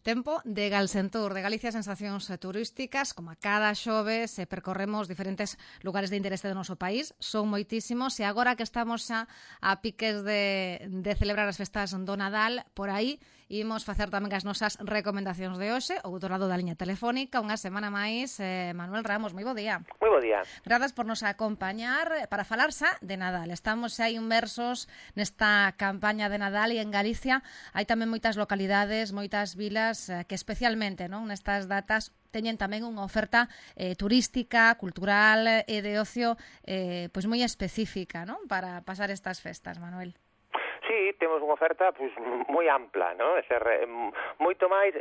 Tempo de Galsentur, de Galicia Sensacións Turísticas, como a cada xoves percorremos diferentes lugares de interese do noso país, son moitísimos, e agora que estamos xa a piques de celebrar as festas do Nadal, por aí imos facer tamén as nosas recomendacións de hoxe, o outro lado da liña telefónica, unha semana máis, Manuel Ramos, moi bo día. Moi bo día. Grazas por nos acompañar para falar xa de Nadal. Estamos xa inmersos nesta campaña de Nadal e en Galicia hai tamén moitas localidades, moitas vilas que especialmente nestas datas teñen tamén unha oferta turística, cultural e de ocio pois moi específica para pasar estas festas, Manuel. Sí, temos unha oferta moi ampla, non? Moito máis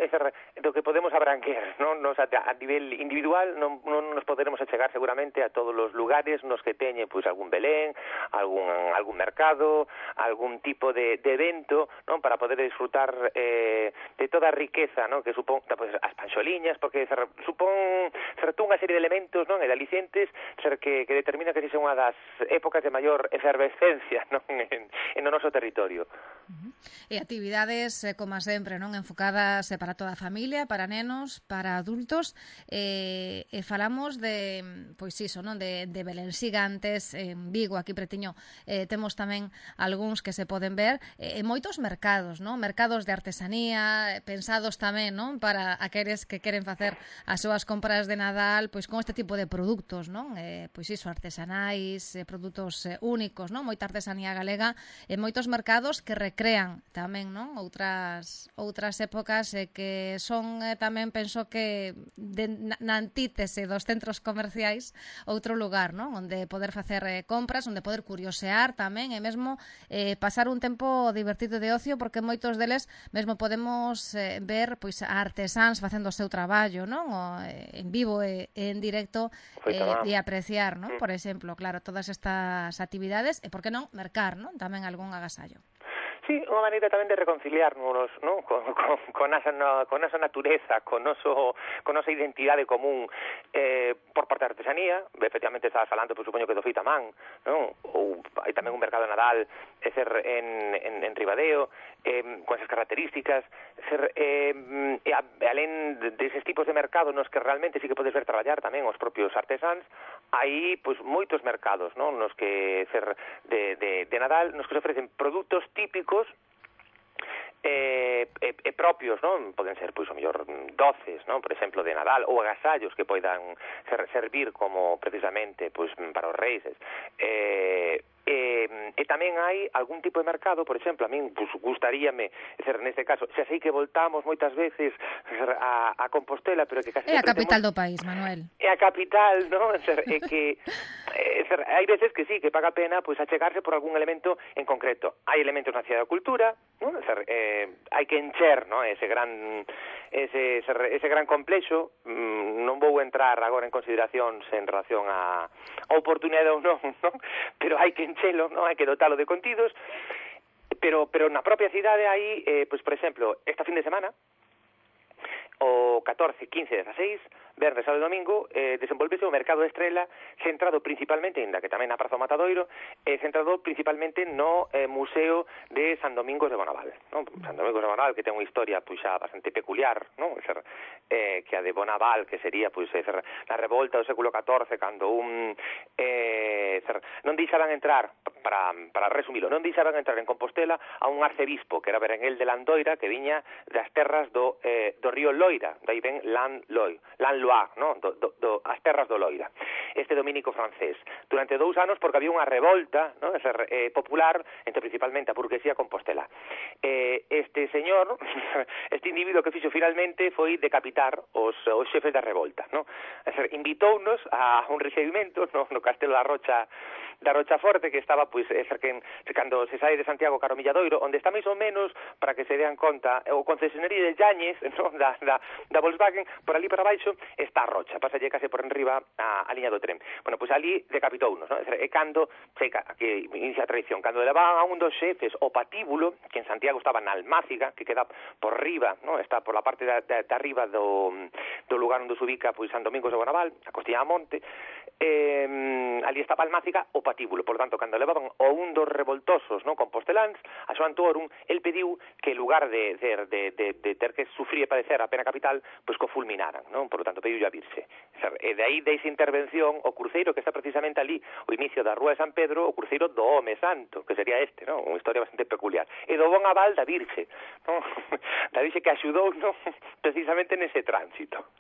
do que podemos abranquer, non? Nos a nivel individual non nos poderemos achegar seguramente a todos os lugares nos que teñe algún Belén, algún mercado, algún tipo de evento, non? Para poder disfrutar de toda a riqueza, non? Que supón as panxoliñas, porque supón unha serie de elementos, non? E de alicientes que determina que esa é unha das épocas de maior efervescencia, non? En o noso territorio. E actividades, como sempre, enfocadas para toda a familia, para nenos, para adultos, e falamos de, de Belén Xigantes, en Vigo, aquí pretiño, temos tamén algúns que se poden ver, e moitos mercados, mercados de artesanía, pensados tamén, para aqueles que queren facer as súas compras de Nadal, con este tipo de produtos, artesanais, produtos únicos, moita artesanía galega, e moitos mercados que recrean tamén outras épocas que son tamén, penso que na antítese dos centros comerciais, outro lugar onde poder facer compras, onde poder curiosear tamén e mesmo pasar un tempo divertido de ocio, porque moitos deles mesmo podemos ver a artesáns facendo o seu traballo en vivo e en directo e apreciar, por exemplo, claro, todas estas actividades e, por que non, mercar tamén algún agasallo. Sí, unha maneira tamén de reconciliarnos con esa natureza, con nosa identidade común por parte da artesanía. Efectivamente, estabas falando, supoño que do feito a man, ou hai tamén un mercado de Nadal en Ribadeo, con esas características, e alén deses tipos de mercado nos que realmente sí que podes ver traballar tamén os propios artesáns, hai moitos mercados nos que de Nadal, nos que se ofrecen produtos típicos propios, poden ser, o mellor, doces, por exemplo, de Nadal, ou agasallos que poidan servir como, precisamente, para os reis. E tamén hai algún tipo de mercado, por exemplo, a min gustaríame, neste caso, xa sei que voltamos moitas veces a Compostela, pero que casi é a capital do país, Manuel. É a capital, é que hai veces que sí, que paga pena achegarse por algún elemento en concreto. Hai elementos na Cidade da Cultura, hai que encher ese gran complexo. Non vou entrar agora en consideracións en relación a oportunidade ou non, pero hai que enchelo, hai que dotalo de contidos, pero na propia cidade hai, por exemplo, esta fin de semana, o 14, 15, 16, venres, sábado e domingo, desenvolvese o mercado de Estrela, centrado principalmente, ainda que tamén na Praza do Matadoiro, centrado principalmente no Museo de San Domingos de Bonaval. San Domingos de Bonaval, que ten unha historia xa bastante peculiar, que a de Bonaval, que sería na revolta do século XIV, cando non deixaban entrar, para resumilo, non deixaban entrar en Compostela a un arcebispo, que era Berenguel de Landoira, que viña das terras do río Loira, dai ven Lanloire, as terras do Loira, este dominico francés, durante 2 anos, porque había unha revolta popular entre principalmente a burguesía compostela. Este señor, este individuo que fixo finalmente foi decapitar os xefes da revolta, invitounos a un recibimento no Castelo da Rocha Forte, que estaba cando se sai de Santiago cara ao Milladoiro, onde está máis ou menos, para que se dean conta, o concesionario de Yañez da Volkswagen, por ali para baixo está a Rocha, pasalle case por enriba a liña do tren. Bueno, ali decapitounos, e cando que inicia a tradición, cando levaban a un dos xefes o patíbulo, que en Santiago estaba na Almáciga, que queda por riba, está por la parte de arriba do lugar onde se ubica San Domingos de Bonaval, a Costilla da Monte, ali estaba Almáciga o patíbulo, por tanto, cando levaban o un dos revoltosos, non, composteláns, a Xoan Tuorum, el pediu que en lugar de ter que sufrir e padecer a pena capital, pois que o fulminaran, non? Por tanto, pediu a virse. E de aí, desa intervención, o cruceiro que está precisamente ali, o inicio da Rúa de San Pedro, o cruceiro do Home Santo, que sería este, non? Unha historia bastante peculiar. E do bon aval da virxe, non? Da virxe que axudou, non? Precisamente nese tránsito.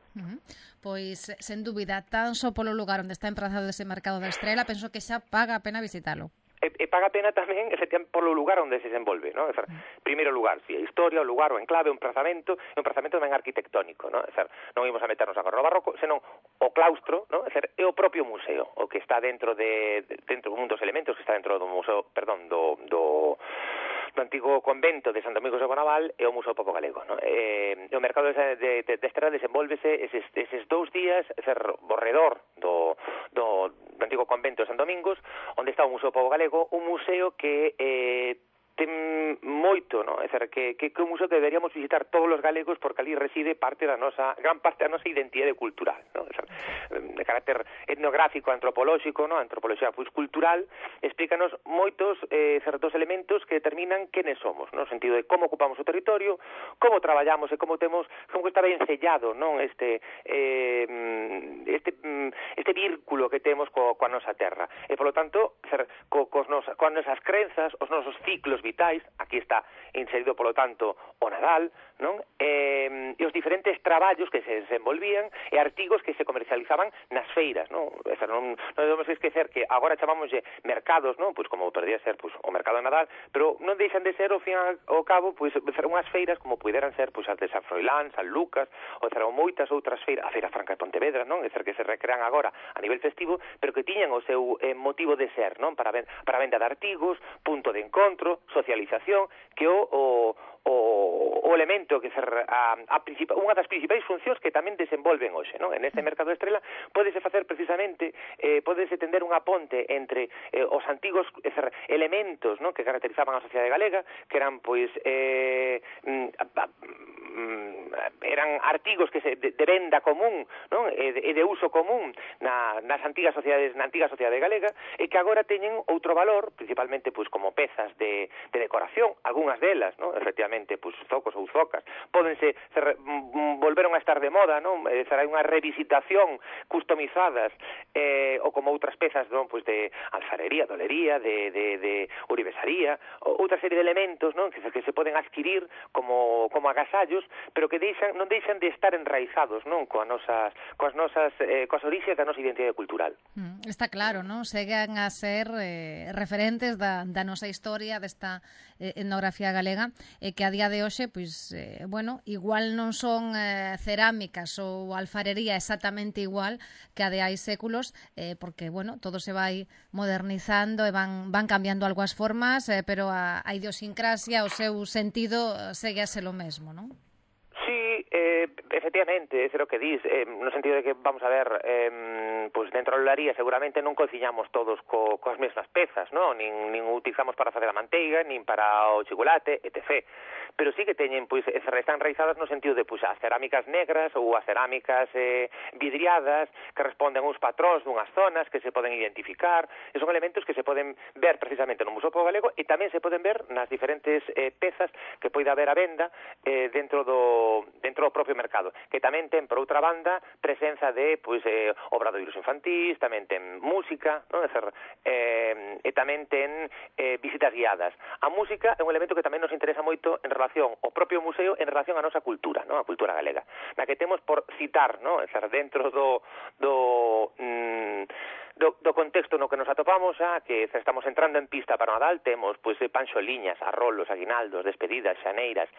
Pois, sen dúbida, tan só polo lugar onde está emprazado ese mercado da Estrela, penso que xa paga a pena visitalo. E paga pena tamén, efectivamente, polo lugar onde se desenvolve, non? Primeiro lugar, si, a historia, o lugar, o enclave, o emprazamento tamén arquitectónico, non? Non ímos a meternos agora no barroco, senón o claustro, non? E o propio museo, o que está dentro un dos elementos que está dentro do museo, perdón, do antigo convento de San Domingos de Bonaval e o Museo Pobo Galego, non? O mercado de Estrela desenvolvese eses 2 días, ao redor do antigo convento de San Domingos, onde está o Museo Pobo Galego, un museo que ten moito, non? É dicir, que é un museo que deberíamos visitar todos os galegos porque ali reside gran parte da nosa identidade cultural, non? De carácter etnográfico, antropolóxico, non? Antropoloxía pois cultural, explícanos moitos certos elementos que determinan quenes somos, no sentido de como ocupamos o territorio, como traballamos e como está ben sellado, non? Este vínculo que temos coa nosa terra. E, polo tanto, coas nosas crenzas, os nosos ciclos vitais, aquí está inserido, polo tanto, o Nadal, non? E os diferentes traballos que se desenvolvían e artigos que se comercializaban nas feiras, non? Non debemos esquecer que agora chamámoslle mercados, non? Pois como podría ser pois o mercado de Nadal, pero non deixan de ser, ao fin ao cabo, pois unhas feiras como puderan ser pois as de San Froilán, San Lucas, ou moitas outras feiras, a Feira Franca de Pontevedra, non? É que se recrean agora a nivel festivo, pero que tiñan o seu motivo de ser, non? Para venda de artigos, punto de encontro, socialización, que o elemento que unha das principais funcións que tamén desenvolven hoxe, non? En este mercado de Estrela pódese facer precisamente, pódese tender unha ponte entre os antigos elementos, non? Que caracterizaban a sociedade galega, que eran pois eran artigos que de venda común, non? E de uso común nas antigas sociedades, na antiga sociedade galega, e que agora teñen outro valor, principalmente pois como pezas de decoración, algunhas delas, non? Efectivamente, pois zocos ou zocas, pódense volveron a estar de moda, non? Hai unha revisitación customizadas ou como outras pezas, non? Pois de alfarería, dolería, de uribesaría, outra serie de elementos, non? Que se poden adquirir como agasallos, pero que non deixan de estar enraizados, non? Coas orixes da nosa identidade cultural. Está claro, non? Seguen a ser referentes da nosa historia, desta etnografía galega, que a día de hoxe, pois, bueno, igual non son cerámicas ou alfarería exactamente igual que a de hai séculos, porque, bueno, todo se vai modernizando e van cambiando algo as formas, pero a idiosincrasia, o seu sentido segue a ser o mesmo, non? Sí, efectivamente, é o que dis, no sentido de que, vamos a ver, pois dentro da olaría seguramente non cociñamos todos coas mesmas pezas, non? Nin utilizamos para facer a manteiga, nin para o chocolate, etc. Pero sí que teñen, pois, están enraizadas no sentido de, pois, as cerámicas negras ou as cerámicas vidriadas que responden a uns patróns dunhas zonas que se poden identificar, e son elementos que se poden ver precisamente no Museo Pobo Galego e tamén se poden ver nas diferentes pezas que poida haber a venda dentro do propio mercado, que tamén ten, por outra banda, presenza de, pois, obradoiros infantís, tamén ten música, non? E tamén ten visitas guiadas. A música é un elemento que tamén nos interesa moito en relación ao propio museo, en relación á nosa cultura, non? A cultura galega, na que temos por citar, non? Dentro do contexto no que nos atopamos, que estamos entrando en pista para o Nadal, temos pois panxoliñas, arrolos, aguinaldos, despedidas, xeneiras,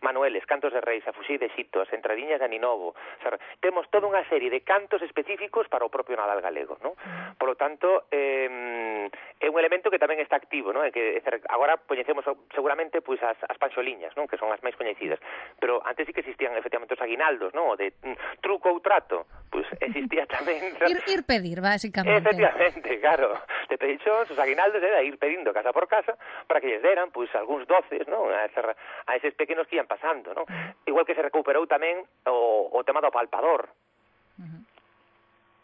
manueles, cantos de reis, a fuxir de Xito, as entradiñas de Aninovo. Temos toda unha serie de cantos específicos para o propio Nadal galego, non? Por lo tanto, é un elemento que tamén está activo, non? Que agora coñecemos seguramente pois as panxoliñas, non? Que son as máis coñecidas, pero antes sí que existían efectivamente os aguinaldos, non? O de truco ou trato, pois existía tamén ir pedir, basicamente. Efectivamente, claro. De pedichóns, os aguinaldos era ir pedindo casa por casa para que lles deran, pois, algúns doces, non? A eses pequenos que ian pasando, non? Igual que se recuperou tamén o tema do palpador.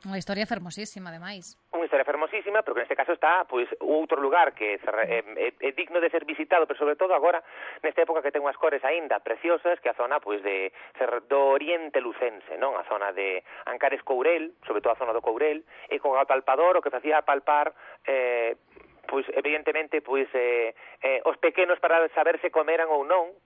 Unha historia fermosísima, ademais. Unha historia fermosísima, pero que neste caso está pois outro lugar que é digno de ser visitado, pero sobre todo agora nesta época que ten unhas cores aínda preciosas, que a zona pois do oriente lucense, non? A zona de Ancares Courel, sobre todo a zona do Courel, e co apalpador o que facía palpar pois evidentemente pois os pequenos para saber se comeran ou non,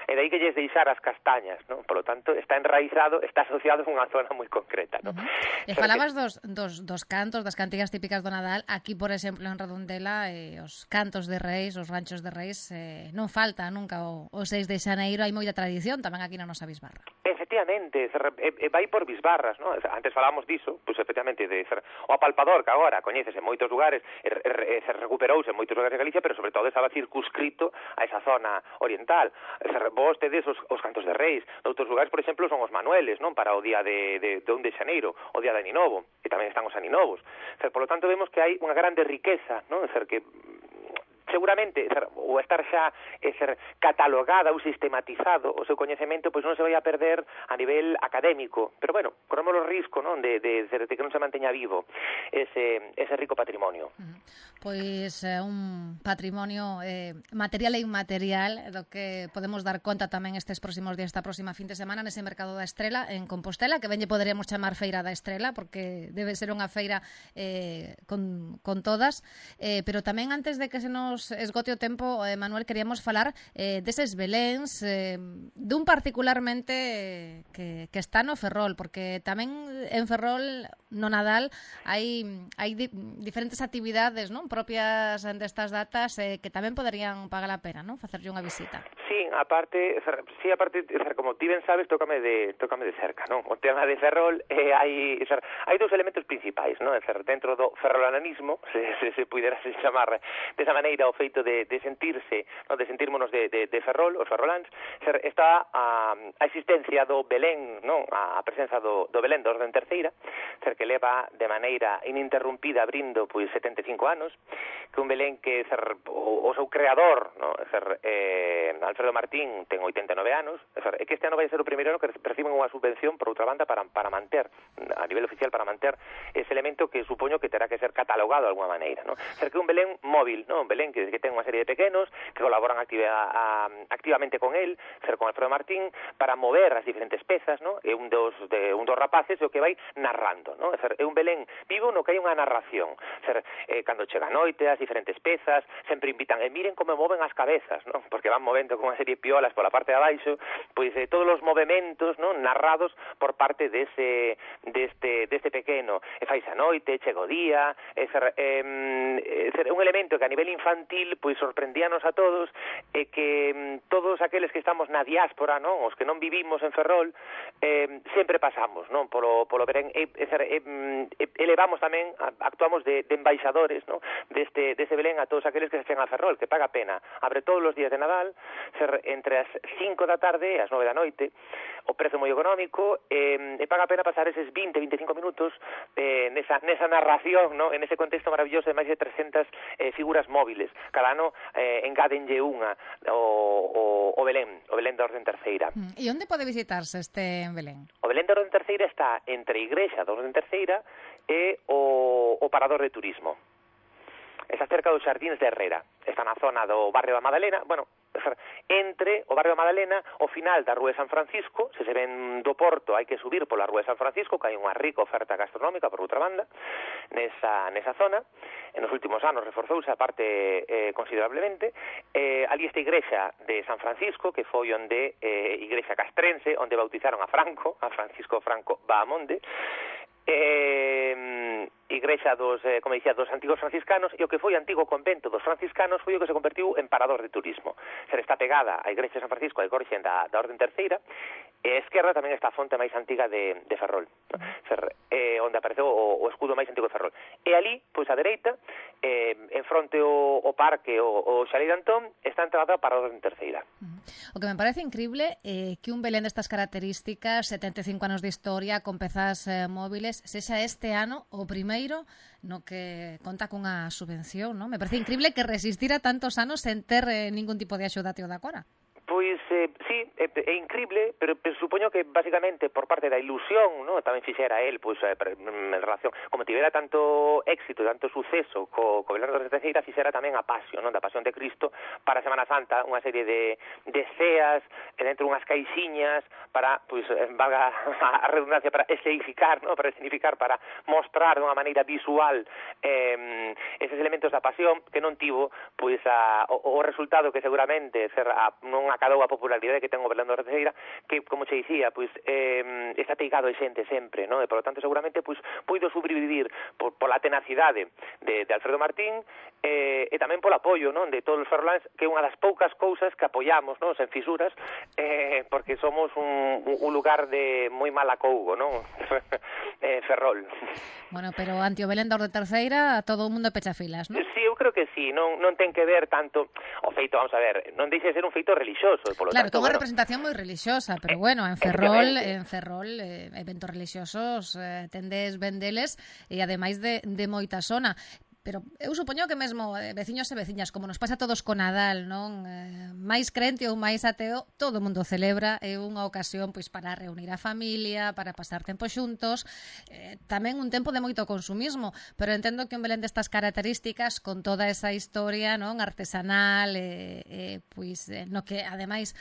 e dai que lles deixar as castañas, non? Por lo tanto, está enraizado, está asociado a unha zona moi concreta, non? E falabas dos cantos, das cantigas típicas do Nadal. Aquí, por exemplo, en Redondela, os cantos de reis, os ranchos de reis, non falta nunca o 6 de xaneiro, hai moita tradición tamén aquí na nosa bisbarra. Efectivamente, vai por bisbarras, non? Antes falábamos diso, pois efectivamente, o apalpador, que agora coñécese en moitos lugares, se recuperouse en moitos lugares de Galicia, pero sobre todo estaba circunscrito a esa zona oriental. Vos tedes os cantos de reis. Noutros lugares, por exemplo, son os manueles, non? Para o día de 1 de xaneiro, o día de Aninovo, e tamén están os Aninovos. Por lo tanto, vemos que hai unha grande riqueza, non? Que seguramente o estar xa ser catalogada ou sistematizado o seu coñecemento pois non se vai a perder a nivel académico, pero bueno, corremos o risco, non, de que non se manteña vivo ese rico patrimonio. Pois un patrimonio material e inmaterial do que podemos dar conta tamén estes próximos días, esta próxima fin de semana nese Mercado da Estrela en Compostela, que ben lle poderíamos chamar Feira da Estrela porque debe ser unha feira con todas, pero tamén antes de que se nos esgote o tempo, Manuel, queríamos falar deses beléns, dun particularmente que está no Ferrol, porque tamén en Ferrol no Nadal hai diferentes actividades, non, propias destas datas que tamén poderían pagar a pena, non, facerlle unha visita. Sí, aparte, como ti ben sabes, tócame de cerca, non? O tema de Ferrol hai dous elementos principais, non? Dentro do ferrolananismo, se pudera chamar desa maneira o feito de sentirse, non? De sentirmonos de Ferrol, os ferroláns, está a existencia do Belén, non? A presenza do Belén da Orden Terceira, que leva de maneira ininterrumpida abrindo pois 75 anos, que un Belén que o seu creador, non? Alfredo Martín ten 89 anos, e que este ano vai ser o primeiro ano que reciben unha subvención por outra banda para manter, a nivel oficial, para manter ese elemento que supoño que terá que ser catalogado de alguma maneira, non? Que un Belén móvil, non? Un Belén que ten unha serie de pequenos que colaboran activamente con él, con Alfredo Martín, para mover as diferentes pezas, non? É un dos rapaces o que vai narrando, non? É un Belén vivo no que hai unha narración. Cando chega a noite, as diferentes pezas sempre invitan, miren como moven as cabezas, non? Porque van movendo con unha serie de piolas pola parte de abaixo, pois todos os movementos, non, narrados por parte deste pequeno. E faise a noite, chega o día, é un elemento que a nivel infantil pois sorprendíanos a todos, e que todos aqueles que estamos na diáspora, non, os que non vivimos en Ferrol, sempre pasamos, non, polo Belén, elevamos tamén, actuamos de embaixadores, non, deste Belén a todos aqueles que se chegan a Ferrol, que paga pena. Abre todos os días de Nadal, entre as 5 da tarde e as 9 da noite, o prezo moi económico, e paga pena pasar eses 20-25 minutos nesa narración, ¿no? En ese contexto maravilloso de máis de 300 figuras móviles. Cada ano engádenlle unha o Belén da Orden Terceira. E onde pode visitarse este Belén? O Belén da Orden Terceira está entre a Igrexa da Orden Terceira e o Parador de Turismo. Está cerca dos Xardíns de Herrera. Está na zona do barrio da Madalena, entre o barrio da Madalena, o final da Rúa de San Francisco. Se ven do Porto, hai que subir pola Rúa de San Francisco, que hai unha rica oferta gastronómica por outra banda nesa zona. En os últimos anos reforzouse a parte considerablemente. Ali esta igrexa de San Francisco, que foi onde igrexa castrense, onde bautizaron a Francisco Franco Bahamonde, igrexa dos antigos franciscanos, e o que foi antigo convento dos franciscanos foi o que se convertiu en parador de turismo. Está pegada a igrexa de San Francisco, a Corxen da Orden Terceira, e a esquerda tamén está a fonte máis antiga de Ferrol, onde apareceu o escudo máis antigo de Ferrol. E ali, pois a dereita, en fronte o parque, o Xalei de Antón, está entrada para a Orden Terceira. O que me parece increíble é que un Belén destas características, 75 anos de historia, con pezas móviles, sexa este ano o primeiro no que conta cunha subvención, non? Me parece increíble que resistira tantos anos sen ter ningún tipo de axuda até o da Cora. Pois, sí, é incrible, pero supoño que basicamente por parte da ilusión, ¿no? Tamén fixera él, pois, en relación, como tivera tanto éxito, tanto suceso co Belén da Terceira, fixera tamén a Pasión, ¿no? Da Pasión de Cristo para a Semana Santa, unha serie de ceas dentro unhas caixiñas para, pois, valga a redundancia, para escenificar, ¿no? Para escenificar, para mostrar dunha maneira visual eses elementos da Pasión que non tivo, pois, o resultado que seguramente non acadou a popularidade que ten o Belén da Terceira, que, como che dicía, pois, está peigado de xente sempre, non? E, por lo tanto, seguramente, pois, puido sobrevivir pola tenacidade de Alfredo Martín e tamén polo apoio, non? De todos os ferroláns, que é unha das poucas cousas que apoiamos, non? Sen fisuras, porque somos un lugar de moi mal acougo, non? Ferrol. Bueno, pero anti o Belén da Terceira todo o mundo pecha filas, non? Sí, eu creo que sí, non ten que ver tanto o feito, vamos a ver, non deixe de ser un feito relixioso, polo claro, tanto, unha representación moi relixiosa, pero bueno, en Ferrol eventos relixiosos tendes vendeles e ademais de moita zona. Pero eu supoño que mesmo veciños e veciñas, como nos pasa a todos co Nadal, non? Máis crente ou máis ateo, todo o mundo celebra, é unha ocasión pois para reunir a familia, para pasar tempo xuntos, tamén un tempo de moito consumismo, pero entendo que un Belén destas características, con toda esa historia, non, artesanal, pois no que ademais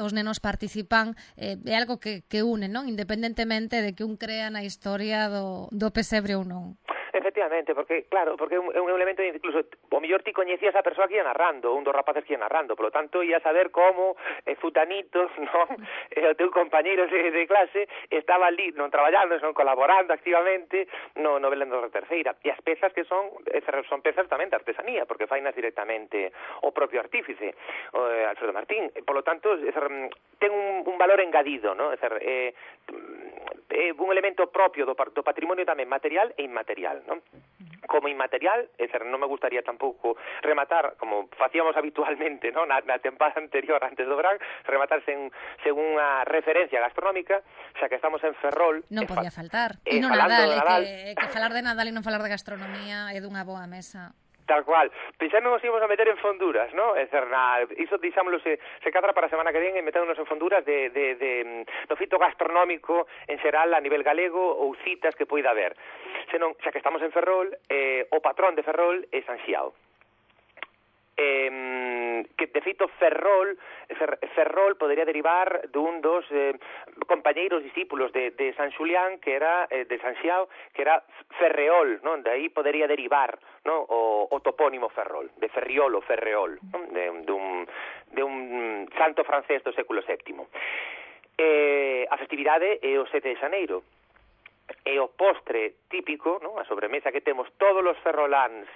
os nenos participan, é algo que une, non? Independentemente de que un crea na historia do pesebre ou non. Efectivamente, porque, claro, porque é un elemento, incluso, o mellor ti coñecías a persoa que ia narrando, un dos rapaces que ia narrando, polo tanto, ia saber como Zutanito, non? O teu compañeiro de clase estaba ali, non traballando, non colaborando activamente no Belén da Terceira. E as pezas que son pezas tamén de artesanía, porque fainas directamente o propio artífice, Alfredo Martín. Polo tanto, ten un valor engadido, non? É un elemento propio do patrimonio tamén material e inmaterial, non? Como inmaterial, non me gustaría tampouco rematar, como facíamos habitualmente, non? Na tempada anterior, antes do verán, rematar sen unha referencia gastronómica, xa que estamos en Ferrol. Non podía faltar. E no Nadal, que falar de Nadal e non falar de gastronomía é dunha boa mesa. Tal cual. Pensando nos íbamos a meter en fonduras, ¿no? Iso deixámoslo se cadra para a semana que ven e metémonos en fonduras do fito gastronómico en xeral a nivel galego ou citas que poida haber. Senón, xa que estamos en Ferrol, o patrón de Ferrol é San Xiao. Que de feito Ferrol podería derivar dun dos compañeiros discípulos de San Xulián, que era de San Xiao, que era Ferreol, non? De aí podería derivar, non? O topónimo Ferrol, de Ferriol ou Ferreol, non? De un santo francés do século VII. A festividade é o 7 de xaneiro. E o postre típico, non? A sobremesa que temos todos os ferroláns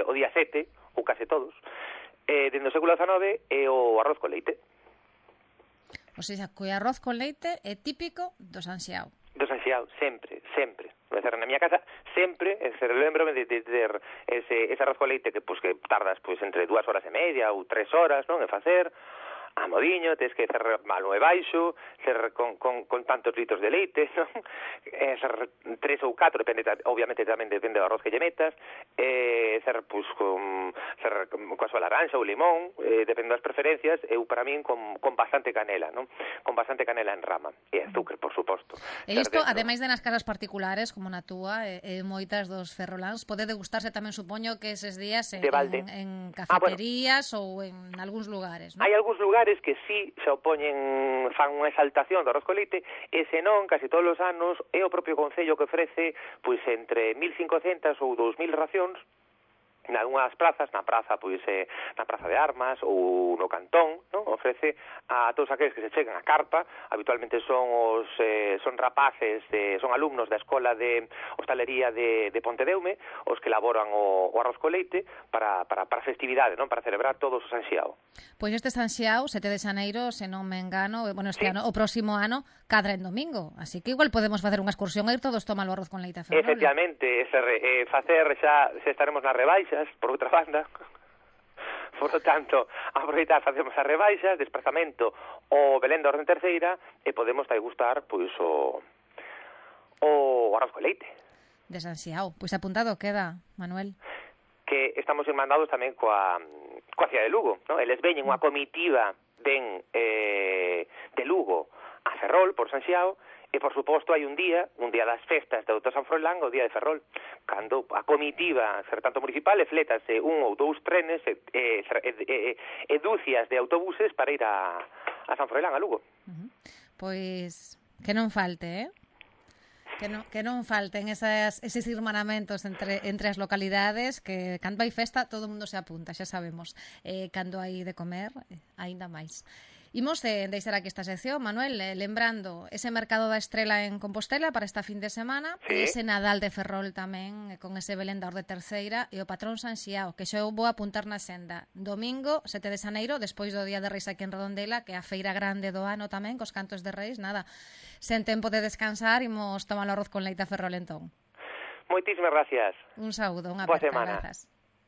o día 7, ou case todos, dende o século XIX é o arroz con leite. O sea, que o arroz con leite é típico do San Xiao. Do San Xiao, sempre. Na miña casa sempre, lembro-me de ter ese arroz con leite que tardas entre 2 horas e media ou 3 horas, non, en facer, a modiño, tens que ser malo e baixo, ser con tantos litros de leite, non? Ser 3 ou 4, obviamente tamén depende do arroz que lle metas, ser coa súa laranxa ou limón, depende das preferencias, eu para min con bastante canela, non? Con bastante canela en rama, e azúcar, por suposto. E isto, ademais de nas casas particulares, como na túa, e moitas dos ferroláns, pode degustarse tamén, supoño, que eses días en cafeterías ou en algúns lugares, non? Hai algúns lugares que sí se fan unha exaltación do arroz con leite, e senón, casi todos os anos, é o propio Concello que ofrece entre 1.500 ou 2.000 racións nalgúnas plazas, na praza de Armas ou no Cantón, non? Ofrece a todos aqueles que se chegan a carpa, habitualmente son rapaces, son alumnos da Escola de Hostalería de Pontedeume, os que elaboran o arroz con leite para festividade, non? Para celebrar todos o San Xiao. Pois este San Xiao, 7 de xaneiro, se non me engano, este ano, o próximo ano, cadra en domingo, así que igual podemos facer unha excursión e ir todos tomar o arroz con leite a Ferrol. Efectivamente, facer xa estaremos nas rebaixas, por outra banda. Por lo tanto, aproveitar, facemos as rebaixas, desplazamento o Belén da Orden Terceira e podemos degustar o arroz con leite. De San Xiao. Pois apuntado queda, Manuel. Que estamos irmandados tamén coa cidade de Lugo, non? Eles veñen unha comitiva ven de Lugo a Ferrol, por San Xiao, e, por suposto, hai un día das festas de Auto San Froilán, o día de Ferrol, cando a comitiva, tanto municipal, flétase un ou dous trenes e dúcias de autobuses para ir a San Froilán, a Lugo. Pois que non falte, que non falten eses irmanamentos entre as localidades, que cando hai festa todo o mundo se apunta, xa sabemos. Cando hai de comer, aínda máis. Imos deixar aquí esta sección, Manuel, lembrando ese mercado da Estrela en Compostela para esta fin de semana, e ese Nadal de Ferrol tamén, con ese Belendor de Terceira, e o patrón San Xiao, que xa eu vou apuntar na senda. Domingo, 7 de xaneiro, despois do Día de Reis aquí en Redondela, que é a feira grande do ano tamén, cos cantos de Reis, nada, sen tempo de descansar, imos tomar o arroz con leite a Ferrol entón. Moitísimas gracias. Un saúdo, unha boa aperta, semana. grazas.